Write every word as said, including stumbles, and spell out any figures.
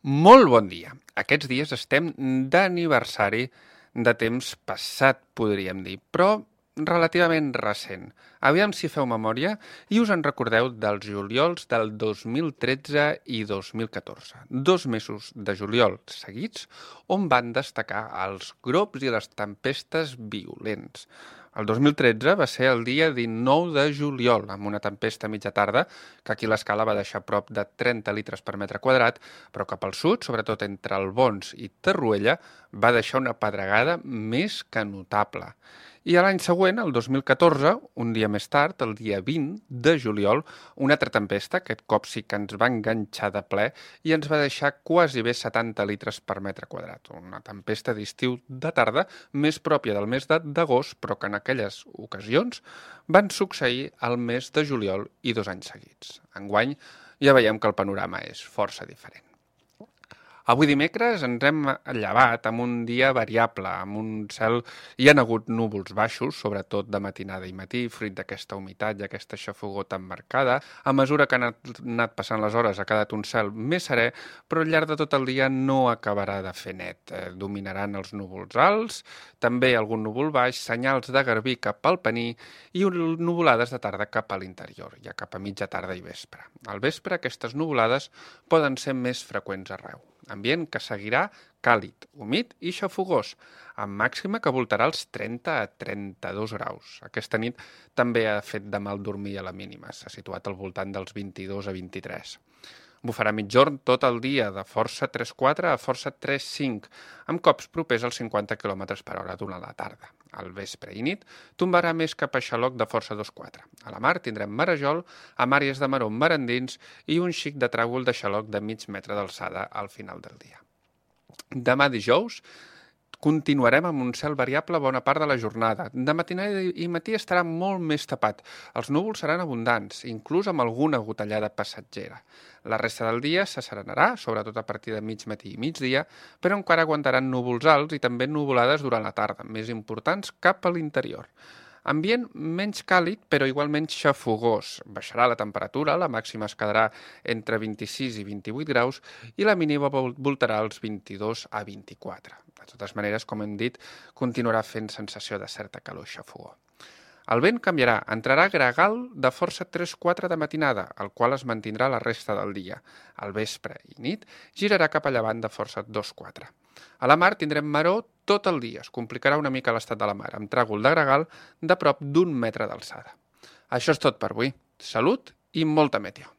Molt bon dia. Aquests dies estem d'aniversari de temps passat, podríem dir, però relativament recent. Aviam si feu memòria i us en recordeu dels juliols del dos mil tretze i dos mil catorze. Dos mesos de juliol seguits on van destacar els grops i les tempestes violents. El dos mil tretze va ser el dia dinou de juliol, amb una tempesta a mitja tarda, que aquí l'escala va deixar prop de trenta litres per metre quadrat, però cap al sud, sobretot entre Albons i Torroella, va deixar una pedregada més que notable. I a l'any següent, el dos mil catorze, un dia més tard, el dia vint de juliol, una altra tempesta, aquest cop sí que ens va enganxar de ple i ens va deixar quasi bé setanta litres per metre quadrat. Una tempesta d'estiu de tarda, més pròpia del mes d'agost, però que en aquelles ocasions van succeir al mes de juliol i dos anys seguits. Enguany ja veiem que el panorama és força diferent. Avui dimecres ens hem llevat amb un dia variable, amb un cel... Hi ha hagut núvols baixos, sobretot de matinada i matí, fruit d'aquesta humitat i aquesta xafogor tan marcada. A mesura que han anat passant les hores ha quedat un cel més serè, però al llarg de tot el dia no acabarà de fer net. Eh, dominaran els núvols alts, també algun núvol baix, senyals de garbí cap al Pení i nuvolades de tarda cap a l'interior, ja cap a mitja tarda i vespre. Al vespre aquestes nuvolades poden ser més freqüents arreu. Ambient que seguirà càlid, humit i xafogós, amb màxima que voltarà els trenta a trenta-dos graus. Aquesta nit també ha fet de mal dormir a la mínima, s'ha situat al voltant dels vint-i-dos a vint-i-tres. Bufarà mitjorn tot el dia, de força tres quatre a força tres cinc, amb cops propers als cinquanta quilòmetres per hora durant la tarda. Al vespre i nit tombarà més cap a xaloc de força dos quatre. A la mar tindrem marejol, amb àrees de maror marandins i un xic de tràgol de xaloc de mig metre d'alçada al final del dia. Demà dijous continuarem amb un cel variable bona part de la jornada. De matinada i matí estarà molt més tapat. Els núvols seran abundants, inclús amb alguna gotellada passatgera. La resta del dia s'asserenarà, sobretot a partir de mig matí i migdia, però encara aguantaran núvols alts i també nuvolades durant la tarda, més importants cap a l'interior. Ambient menys càlid, però igualment xafogós. Baixarà la temperatura, la màxima es quedarà entre vint-i-sis i vint-i-vuit graus i la mínima voltarà als vint-i-dos a vint-i-quatre. De totes maneres, com hem dit, continuarà fent sensació de certa calor i xafogor. El vent canviarà, entrarà gregal de força tres quatre de matinada, el qual es mantindrà la resta del dia. Al vespre i nit girarà cap a llevant de força dos quatre. A la mar tindrem maror tot el dia, es complicarà una mica l'estat de la mar, amb tràgol de gregal de prop d'un metre d'alçada. Això és tot per avui. Salut i molta meteo.